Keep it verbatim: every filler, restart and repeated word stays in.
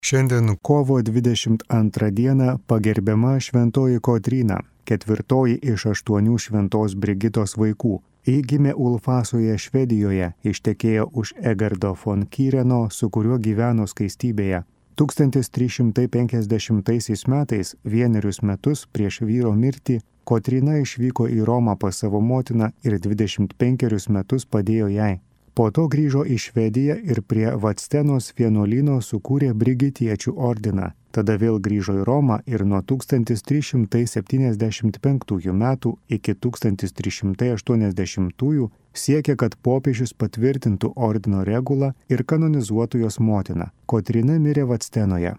Šiandien kovo dvidešimt antrą dieną pagerbiama šventoji Kotryna, ketvirtoji iš aštuonių šventos Brigitos vaikų. Ji gimė Ulfasoje, Švedijoje, ištekėjo už Egardo von Kyreno, su kuriuo gyveno skaistybėje. tūkstantis trys šimtai penkiasdešimtaisiais metais, vienerius metus prieš vyro mirtį, Kotryna išvyko į Romą pas savo motiną ir dvidešimt penkerius metus padėjo jai. Po to grįžo į Švediją ir prie Vadstenos vienuolyno sukūrė Brigitiečių ordiną. Tada vėl grįžo į Romą ir nuo tūkstantis trys šimtai septyniasdešimt penktųjų metų iki tūkstantis trys šimtai aštuoniasdešimtųjų siekė, kad popiežius patvirtintų ordino regulą ir kanonizuotų jos motiną. Kotryna mirė Vadstenoje.